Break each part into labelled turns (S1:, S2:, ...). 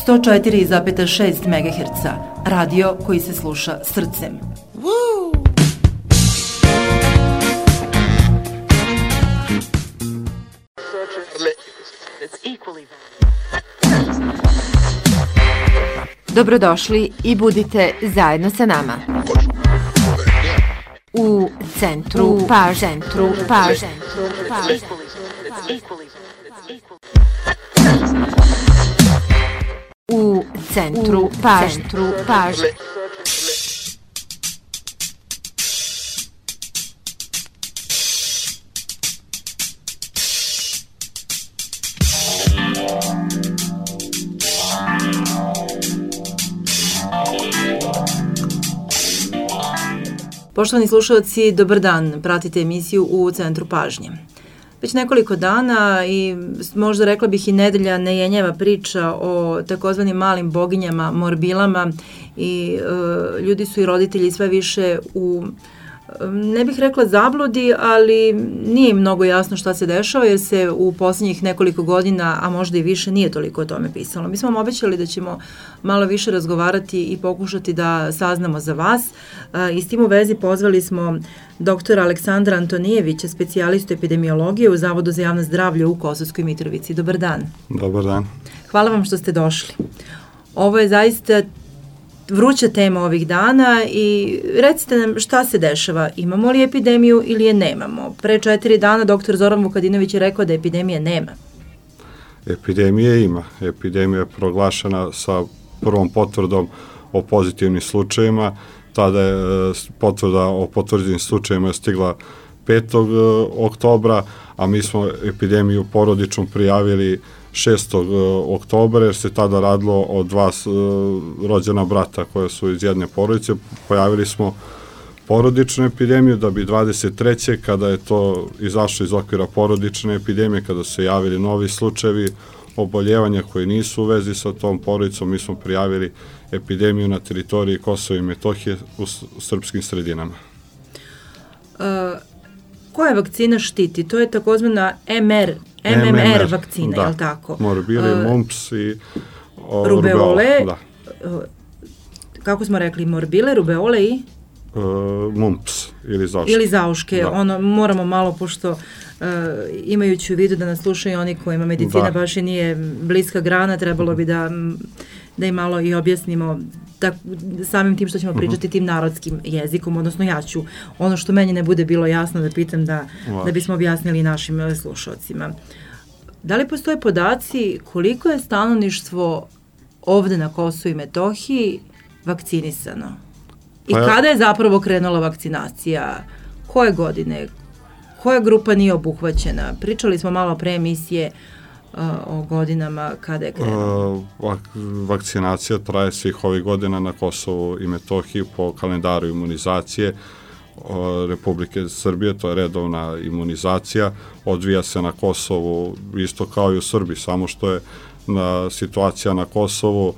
S1: 104,6 MHz, radio koji se sluša srcem.
S2: Dobrodošli i budite zajedno sa nama. U centru pažnje. U centru pažnje.
S1: Poštovani slušalci, dobar dan, pratite emisiju U centru pažnje. Već nekoliko dana i možda rekla bih i nedelja ne jenjeva priča o takozvanim malim boginjama, morbilama i ljudi su i roditelji sve više u, ne bih rekla zabludi, ali nije im mnogo jasno šta se dešava jer se u posljednjih nekoliko godina, a možda i više, nije toliko o tome pisalo. Mi smo vam obećali da ćemo malo više razgovarati i pokušati da saznamo za vas i s tim u vezi pozvali smo doktora Aleksandra Antonijevića, specijalistu epidemiologije u Zavodu za javno zdravlje u Kosovskoj Mitrovici. Dobar dan.
S3: Dobar dan.
S1: Hvala vam što ste došli. Ovo je zaista vruća tema ovih dana i recite nam šta se dešava, imamo li epidemiju ili je nemamo. Pre 4 dana doktor Zoran Vukadinović je rekao da epidemije nema.
S3: Epidemije ima. Epidemija je proglašena sa prvom potvrdom o pozitivnim slučajevima. Tada je potvrda o potvrđenim slučajevima stigla 5. oktobra, a mi smo epidemiju porodičnu prijavili 6. oktobra, jer se tada radilo o 2 rođena brata koje su iz jedne porodice. Pojavili smo porodičnu epidemiju da bi 23. kada je to izašlo iz okvira porodične epidemije, kada su se javili novi slučajevi oboljevanja koji nisu u vezi sa tom porodicom, mi smo prijavili epidemiju na teritoriji Kosova i Metohije u srpskim sredinama.
S1: Koja vakcina štiti? To je takozvana MMR vakcina,
S3: da,
S1: je li tako?
S3: Morbili, mumps i
S1: rubeole.
S3: Da.
S1: Kako smo rekli, morbile, rubeole i?
S3: Mumps ili zauške.
S1: Ili zauške.
S3: Da.
S1: Ono, moramo malo, pošto imajući u vidu da nas slušaju oni kojima medicina baš i nije bliska grana, trebalo bi da im malo i objasnimo samim tim što ćemo pričati tim narodskim jezikom, odnosno ja ću ono što meni ne bude bilo jasno da pitam da bismo objasnili našim slušalcima. Da li postoje podaci koliko je stanovništvo ovde na Kosovu i Metohiji vakcinisano? I kada je zapravo krenula vakcinacija? Koje godine? Koja grupa nije obuhvaćena? Pričali smo malo pre emisije o godinama kada je krenula.
S3: Vakcinacija traje svih ovih godina na Kosovu i Metohiji po kalendaru imunizacije Republike Srbije, to je redovna imunizacija, odvija se na Kosovu isto kao i u Srbiji, samo što je situacija na Kosovu,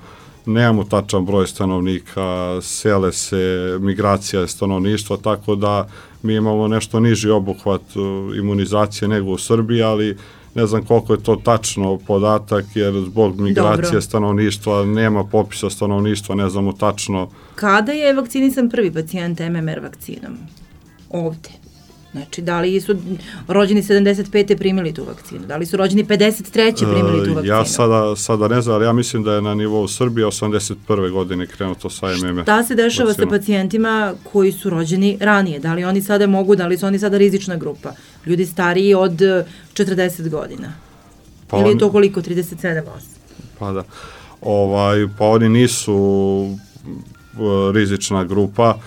S3: nemamo tačan broj stanovnika, sele se, migracija je stanovništva, tako da mi imamo nešto niži obuhvat imunizacije nego u Srbiji, ali ne znam koliko je to tačno podatak, jer zbog migracije stanovništva nema popisa stanovništva, ne znamo tačno.
S1: Kada je vakcinisan prvi pacijent MMR vakcinom? Ovde. Znači, da li su rođeni 75. primili tu vakcinu? Da li su rođeni 53. primili tu vakcinu?
S3: Ja sada ne znam, ali ja mislim da je na nivou Srbije 81. godine krenuto sa MMR.
S1: Šta se dešava vakcinom sa pacijentima koji su rođeni ranije? Da li oni sada mogu, da li su oni sada rizična grupa? Ljudi stariji od 40 godina? Ili je to koliko? 37, 8?
S3: Pa da. Pa oni nisu rizična grupa.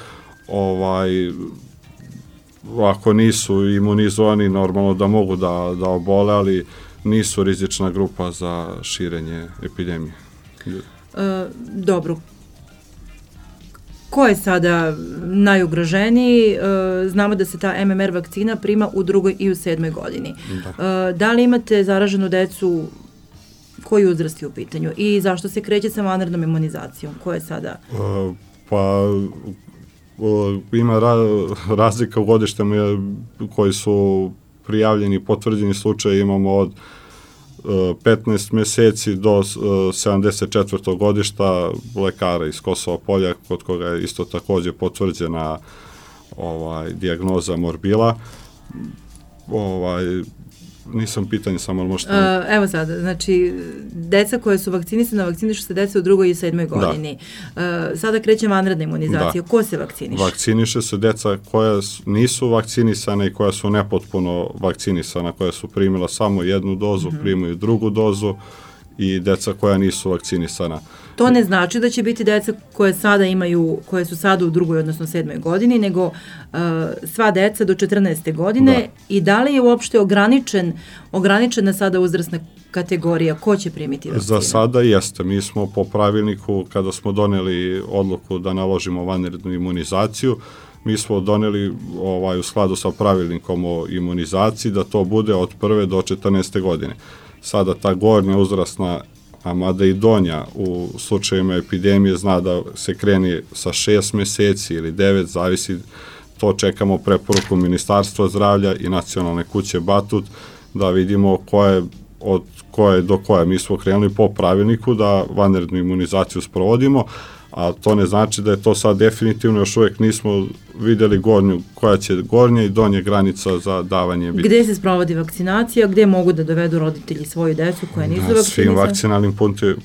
S3: Ako nisu imunizovani, normalno da mogu da obole, ali nisu rizična grupa za širenje epidemije.
S1: Dobro. Ko je sada najugroženiji? Znamo da se ta MMR vakcina prima u 2. i u 7. godini. Da li imate zaraženu decu? Koji uzrast je u pitanju? I zašto se kreće sa vanrednom imunizacijom? Ko je sada?
S3: Ima razlika u godištama koji su prijavljeni, potvrđeni slučaje, imamo od 15 meseci do 74. godišta lekara iz Kosova Polja, kod koga je isto takođe potvrđena dijagnoza morbila. Nisam pitanje, samo možete...
S1: Evo sad, znači, deca koje su vakcinisana, vakcinišu se deca u 2. i 7. godini. Sada kreće vanredna imunizacija. Ko se vakciniše?
S3: Vakciniše se deca koja nisu vakcinisana i koja su nepotpuno vakcinisana, koja su primila samo jednu dozu, primaju drugu dozu, i deca koja nisu vakcinisana.
S1: To ne znači da će biti deca koje su sada u 2. odnosno 7. godini, nego sva deca do 14. godine. I da li je uopšte ograničena sada uzrasna kategorija? Ko će primiti vakcinu?
S3: Za sada jeste. Mi smo po pravilniku, kada smo doneli odluku da naložimo vanrednu imunizaciju, mi smo doneli u skladu sa pravilnikom o imunizaciji da to bude od 1. do 14. godine. Sada ta gornja uzrasna, a mada i donja u slučajima epidemije, zna da se kreni sa 6 meseci ili 9, zavisi, to čekamo preporuku Ministarstva zdravlja i Nacionalne kuće Batut da vidimo od koje do koje. Mi smo krenuli po pravilniku da vanrednu imunizaciju sprovodimo, a to ne znači da je to sad definitivno, još uvijek nismo videli koja će gornja i donja granica za davanje biti.
S1: Gde se sprovodi vakcinacija, gde mogu da dovedu roditelji svoju decu koja nisu vakcinisana?
S3: Na svim vakcinalnim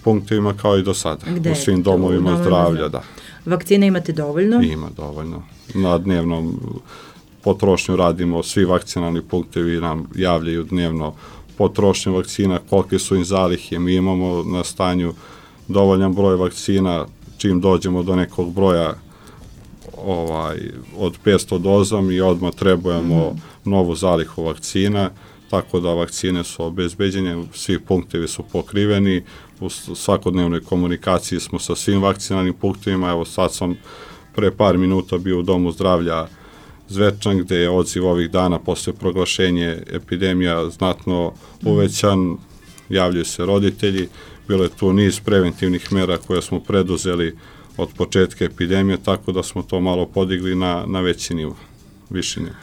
S3: punktovima kao i do sada, u svim domovima zdravlja, da.
S1: Vakcine imate dovoljno?
S3: Ima dovoljno. Na dnevnom potrošnju radimo, svi vakcinalni punktovi nam javljaju dnevno potrošnju vakcina, kolike su im zalihe, mi imamo na stanju dovoljan broj vakcina. Čim dođemo do nekog broja od 500 doza, mi odmah trebujemo novu zalihu vakcina, tako da vakcine su obezbeđene, svi punktevi su pokriveni, u svakodnevnoj komunikaciji smo sa svim vakcinalnim punktovima. Evo sad sam pre par minuta bio u Domu zdravlja Zvečan, gde je odziv ovih dana posle proglašenja epidemija znatno uvećan, javljaju se roditelji. Bilo je tu niz preventivnih mera koje smo preduzeli od početka epidemije, tako da smo to malo podigli na veći nivo, viši nivo.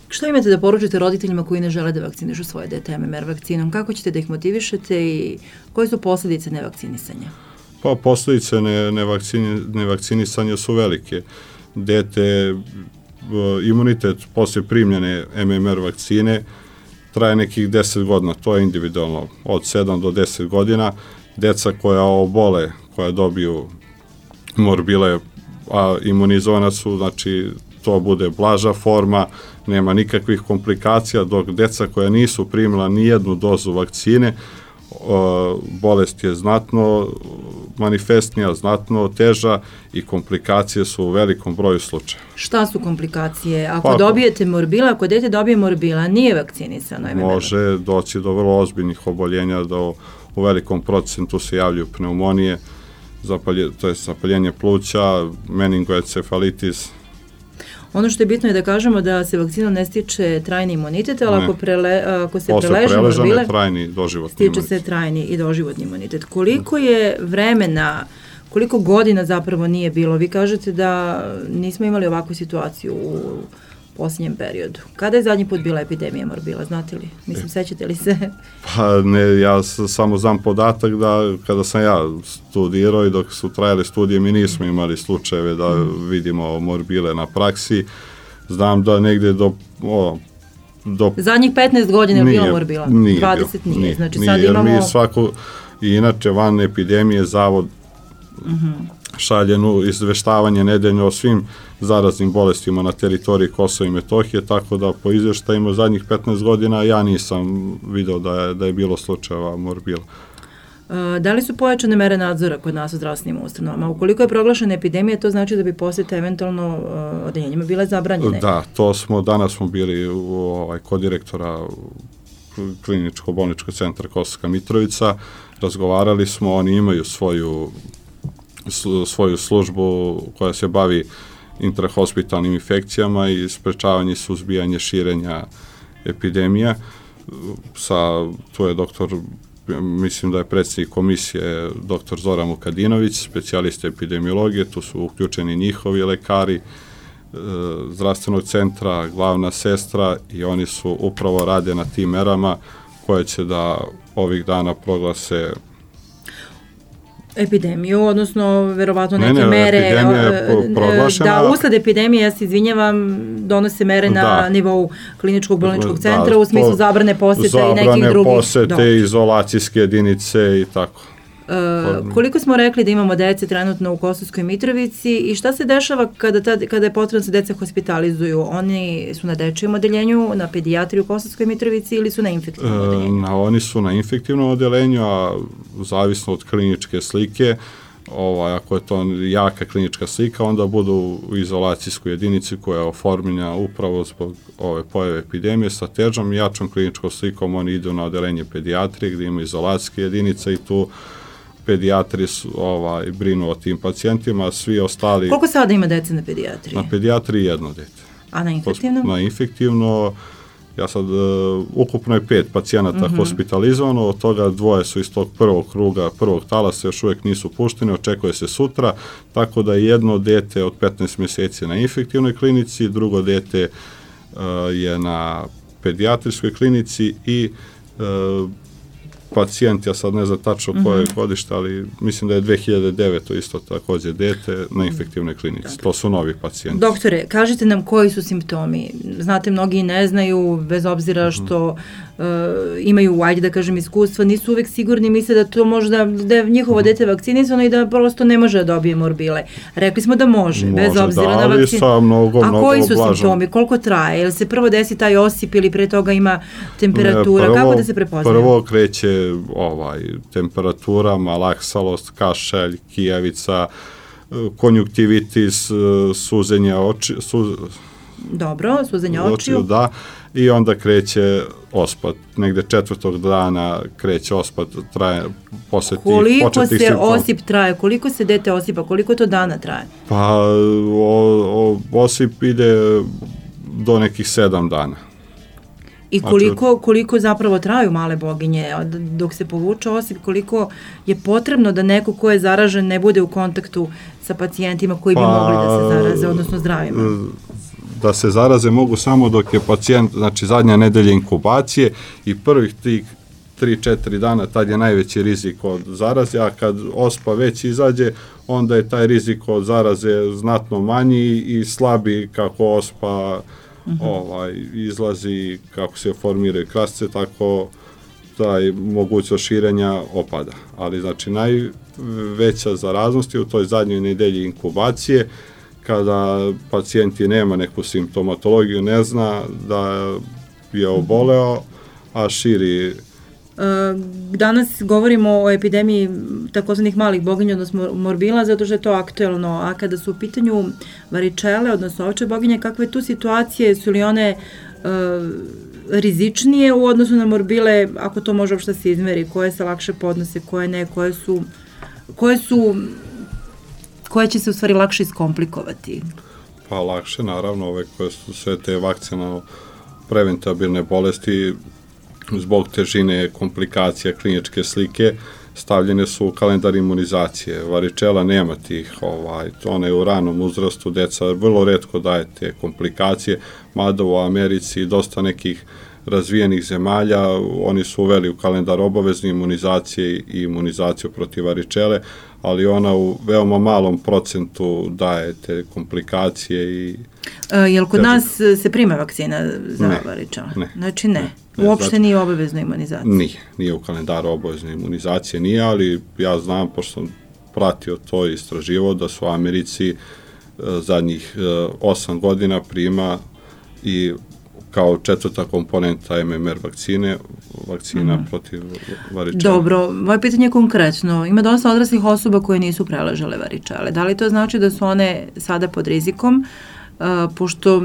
S1: Što imate da poručite roditeljima koji ne žele da vakcinišu svoje dete MMR vakcinom? Kako ćete da ih motivišete i koje su posledice nevakcinisanja?
S3: Pa posledice nevakcinisanja su velike. Dete, imunitet posle primljene MMR vakcine traje nekih 10 godina, to je individualno, od 7 do 10 godina. Deca koja obole, koja dobiju morbile, a imunizovana su, znači to bude blaža forma, nema nikakvih komplikacija, dok deca koja nisu primila ni jednu dozu vakcine, bolest je znatno manifestnija, znatno teža i komplikacije su u velikom broju slučajeva.
S1: Šta su komplikacije? Ako dobijete morbila, ako dete dobije morbila, nije vakcinisano?
S3: Može doći do vrlo ozbiljnih oboljenja, u velikom procentu se javljaju pneumonije, to je zapaljenje pluća, meningoencefalitis.
S1: Ono što je bitno je da kažemo da se vakcinom ne stiče trajni imunitet, ali ako se
S3: preleže morbile, trajni doživotni imunitet.
S1: Stiče se trajni i doživotni imunitet. Koliko je vremena, koliko godina zapravo nije bilo? Vi kažete da nismo imali ovakvu situaciju u posljednjem periodu. Kada je zadnji put bila epidemija morbila, znate li? Mislim, sećate li se?
S3: Pa ne, ja samo znam podatak da kada sam ja studirao i dok su trajale studije, mi nismo imali slučajeve da vidimo morbile na praksi. Znam da negde do
S1: zadnjih 15 godina je bilo morbila? 20 nije. Znači sad imamo...
S3: I inače, van epidemije, Zavod šalje izveštavanje nedeljno o svim zaraznim bolestima na teritoriji Kosova i Metohije, tako da po izveštajima zadnjih 15 godina ja nisam video da je bilo slučajeva morbila.
S1: Da li su pojačane mere nadzora kod nas u zdravstvenim ustanovama? Ukoliko je proglašena epidemija, to znači da bi posete eventualno odeljenjima bile zabranjene?
S3: Da, danas smo bili kod direktora Kliničko-bolničkog centra Kosovska Mitrovica, razgovarali smo, oni imaju svoju službu koja se bavi intrahospitalnim infekcijama i sprečavanje i suzbijanje širenja epidemija. Tu je mislim da je predsjednik komisije dr. Zoran Vukadinović, specijalista epidemiologije, tu su uključeni njihovi lekari zdravstvenog centra, glavna sestra, i oni su upravo rade na tim merama koje će da ovih dana proglase
S1: epidemiju, odnosno verovatno neke mere.
S3: Epidemija je proglašena.
S1: Da, usled epidemije, ja se izvinjavam, donose mere na nivou kliničkog bolničkog centra u smislu zabrane posete i nekih drugih.
S3: Zabrane posete, izolacijske jedinice i tako.
S1: Koliko smo rekli da imamo dece trenutno u Kosovskoj Mitrovici i šta se dešava kada je potrebno da se deca hospitalizuju? Oni su na dečijem odeljenju, na pedijatriji u Kosovskoj Mitrovici ili su na infektivnom odeljenju?
S3: Oni su na infektivnom odeljenju, a zavisno od kliničke slike, ako je to jaka klinička slika, onda budu u izolacijskoj jedinici koja je oformljena upravo zbog ove pojave epidemije sa težom i jačom kliničkom slikom. Oni idu na odeljenje pedijatrije gdje ima izolacijske jedinice i tu pedijatri brinu o tim pacijentima, a svi ostali...
S1: Koliko sada ima dece na pedijatriji?
S3: Na pedijatriji 1 dete.
S1: A na infektivnom?
S3: Na infektivno, ja sad, ukupno je 5 pacijenata hospitalizovano, od toga 2 su iz tog prvog kruga, prvog talasa, još uvijek nisu pušteni, očekuje se sutra, tako da je 1 dete od 15 mjeseci na infektivnoj klinici, drugo dete je na pedijatrijskoj klinici i pacijent, ja sad ne znam tačno koje godište, ali mislim da je 2009. isto također dete na infektivnoj klinici. To su novi pacijenti.
S1: Doktore, kažite nam koji su simptomi. Znate, mnogi ne znaju, bez obzira što imaju, ajde da kažem, iskustva, nisu uvek sigurni, misle da to možda, da je njihovo dete vakcinisano i da prosto ne može da dobije morbile. Rekli smo da može, bez obzira na vakcinu. A koji su simptomi? Koliko traje? Jel se prvo desi taj osip ili pre toga ima temperatura? Kako da se prepoznaje?
S3: Prvo kreće temperatura, malaksalost, kašalj, kijavica, konjuktivitis, suzenje oči.
S1: Dobro, suzenje očiju.
S3: Da, i onda kreće ospat. Negde 4. dana kreće ospat, traje posle tih početnih simptoma.
S1: Koliko se osip traje? Koliko se dete osipa? Koliko to dana traje?
S3: Pa, osip ide do nekih 7 dana.
S1: I koliko zapravo traju male boginje, dok se povuče osip, koliko je potrebno da neko ko je zaražen ne bude u kontaktu sa pacijentima koji bi mogli da se zaraze, odnosno zdravima?
S3: Da se zaraze mogu samo dok je pacijent, znači zadnja nedelja inkubacije i prvih tih 3-4 dana, tad je najveći rizik od zaraze, a kad ospa već izađe, onda je taj rizik od zaraze znatno manji i slabi kako ospa izlazi, kako se formiraju krasce, tako taj mogućnost širenja opada. Ali znači najveća zaraznost je u toj zadnjoj nedelji inkubacije, kada pacijenti nema neku simptomatologiju, ne zna da je oboleo, a širi.
S1: Danas govorimo o epidemiji takozvanih malih boginja, odnosno morbila, zato što je to aktuelno, a kada su u pitanju varičele, odnosno ovče boginje, kakve tu situacije, su li one rizičnije u odnosu na morbile, ako to može uopšte se izmeri, koje se lakše podnose, koje ne, koje će se u stvari lakše iskomplikovati?
S3: Pa lakše, naravno, ove koje su sve te vakcinalno preventabilne bolesti, zbog težine komplikacija kliničke slike, stavljene su u kalendar imunizacije. Varičela nema tih, ona je u ranom uzrastu, deca vrlo retko daje te komplikacije, mada u Americi dosta nekih razvijenih zemalja, oni su uveli u kalendar obavezne imunizacije i imunizaciju protiv varičele, ali ona u veoma malom procentu daje te komplikacije i...
S1: Jel kod nas se prima vakcina za varičele?
S3: Ne.
S1: Znači ne. Uopšte nije obavezna imunizacija?
S3: Nije u kalendaru obavezne imunizacije, nije, ali ja znam, pošto sam pratio to i istraživao, da su u Americi zadnjih 8 godina prima i kao 4. komponenta MMR vakcina protiv varičele.
S1: Dobro, moje pitanje je konkretno. Ima dosta odraslih osoba koje nisu preležale varičele. Da li to znači da su one sada pod rizikom, pošto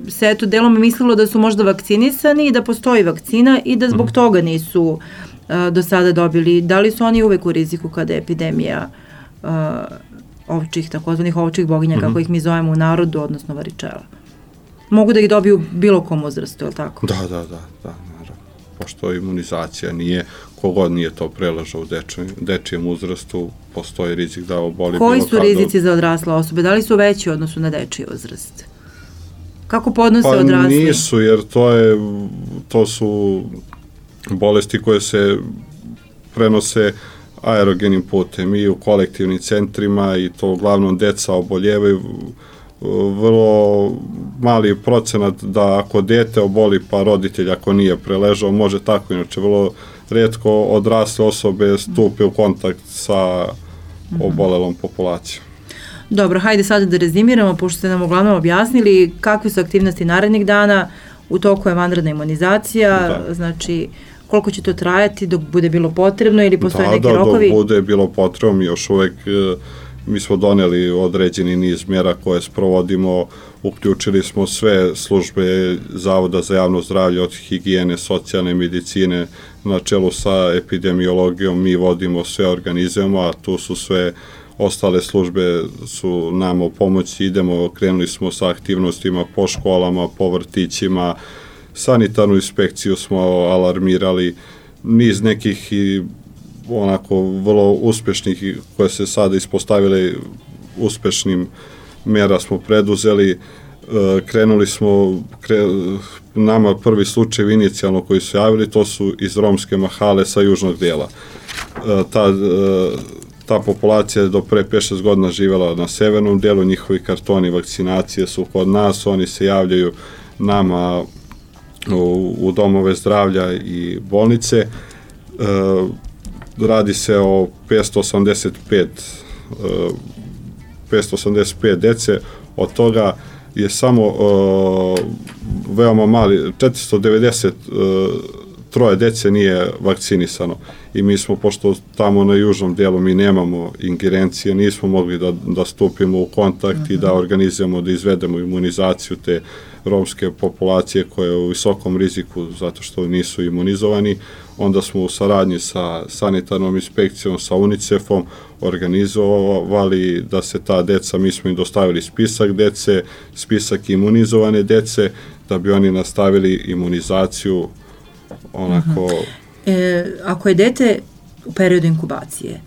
S1: se eto delom mislilo da su možda vakcinisani i da postoji vakcina i da zbog toga nisu do sada dobili? Da li su oni uvek u riziku kada je epidemija takozvanih ovčih boginja, kako ih mi zovemo u narodu, odnosno varičela? Mogu da ih dobiju bilo kom uzrastu, je li tako?
S3: Da, naravno. Pošto imunizacija nije, kogod nije to preležao u dečijem uzrastu, postoji rizik da oboli bilo
S1: kada. Koji su rizici za odrasle osobe? Da li su veći u odnosu na dečiji uzrast? Kako podnose odrasli?
S3: Pa nisu, jer to su bolesti koje se prenose aerogenim putem i u kolektivnim centrima i to uglavnom deca oboljevaju. Vrlo mali procenat da ako dete oboli pa roditelj ako nije preležao može tako, inače vrlo retko odrasle osobe stupe u kontakt sa obolelom populacijom.
S1: Dobro, hajde sada da rezimiramo, pošto ste nam uglavnom objasnili kakve su aktivnosti narednih dana, u toku je vanredna imunizacija, znači koliko će to trajati dok bude bilo potrebno ili postoje neki rokovi?
S3: Dok bude bilo potrebno, mi još uvek, mi smo doneli određeni niz mjera koje sprovodimo, uključili smo sve službe Zavoda za javno zdravlje od higijene, socijalne medicine, na čelu sa epidemiologijom, mi vodimo sve, organizujemo, a tu su sve ostale službe su nam u pomoći, krenuli smo sa aktivnostima po školama, po vrtićima, sanitarnu inspekciju smo alarmirali, niz nekih i onako vrlo uspešnih koje se sada ispostavile uspešnim mjera smo preduzeli, krenuli smo, nama prvi slučaj inicijalno koji su javili, to su iz romske mahale sa južnog dela. Ta populacija je do pre 5-6 godina živjela na severnom delu, njihovi kartoni vakcinacije su kod nas, oni se javljaju nama u domove zdravlja i bolnice. Radi se o 585 dece, od toga je samo veoma mali, 493 dece nije vakcinisano i mi smo, pošto tamo na južnom delu mi nemamo ingerencije, nismo mogli da stupimo u kontakt i da organizujemo, da izvedemo imunizaciju te romske populacije koje je u visokom riziku zato što nisu imunizovani, onda smo u saradnji sa sanitarnom inspekcijom, sa UNICEF-om organizovali da se ta deca, mi smo im dostavili spisak dece, spisak imunizovane dece, da bi oni nastavili imunizaciju onako...
S1: Ako je dete u periodu inkubacije,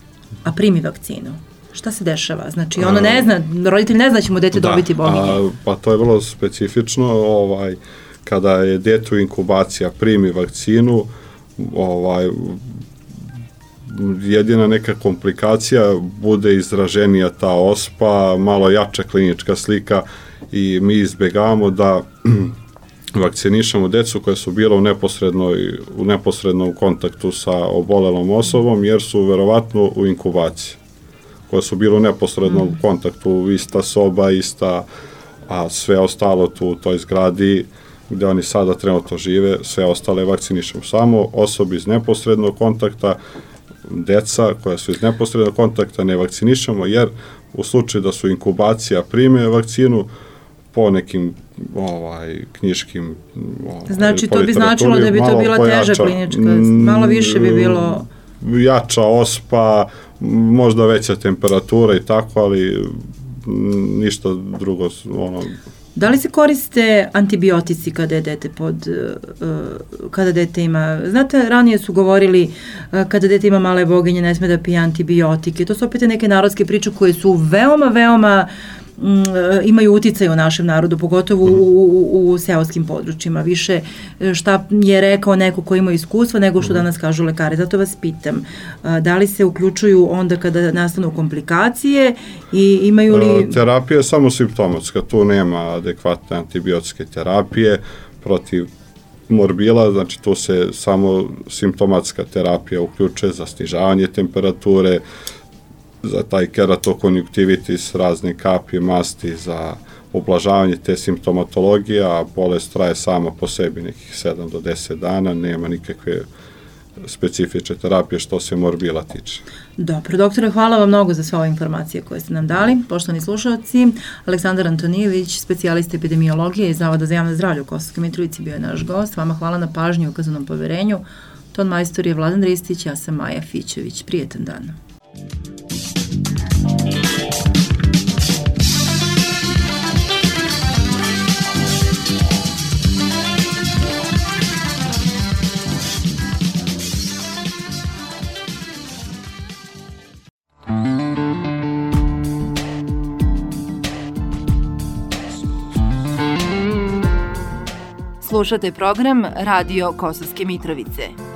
S1: a primi vakcinu, šta se dešava? Znači, ono ne zna, roditelj ne zna da će mu dete dobiti boginje.
S3: Pa to je vrlo specifično, kada je dete u inkubaciji, primi vakcinu, jedina neka komplikacija bude izraženija ta ospa, malo jača klinička slika i mi izbegavamo da vakcinišemo decu koja su bila u neposrednom kontaktu sa obolelom osobom, jer su verovatno u inkubaciji, koja su bila u neposrednom kontaktu, ista soba, a sve ostalo tu u toj zgradi gde oni sada trenutno žive, sve ostale vakcinišemo. Samo osobi iz neposrednog kontakta, deca koja su iz neposrednog kontakta ne vakcinišemo, jer u slučaju da su inkubacija prime vakcinu, po nekim knjiškim
S1: znači to bi značilo da bi to bila teža klinička, malo više bi bilo
S3: jača ospa, možda veća temperatura i tako, ali ništa drugo.
S1: Da li se koriste antibiotici kada je dete kada dete ima, znate, ranije su govorili kada dete ima male boginje ne sme da pije antibiotike, to su opet neke narodske priče koje su veoma imaju uticaj u našem narodu, pogotovo u seoskim područjima. Više šta je rekao neko ko ima iskustva nego što danas kažu lekari. Zato vas pitam, da li se uključuju onda kada nastanu komplikacije i imaju li...
S3: Terapija je samo simptomatska, tu nema adekvatne antibiotske terapije protiv morbila, znači tu se samo simptomatska terapija uključuje za snižavanje temperature, za taj keratokonjuktivitis, razne kapi, masti, za ublažavanje te simptomatologije, a bolest traje sama po sebi nekih 7 do 10 dana, nema nikakve specifične terapije što se morbila tiče.
S1: Dobro, doktore, hvala vam mnogo za sve ove informacije koje ste nam dali. Poštovani slušalci, Aleksandar Antonijević, specijalista epidemiologije iz Zavoda za javno zdravlje u Kosovskoj Mitrovici, bio je naš gost. Vama hvala na pažnji i ukazanom poverenju. Ton majstor je Vladan Ristić, ja sam Maja Fićević. Prijetan dan.
S2: Slušate program Radio Kosovske Mitrovice.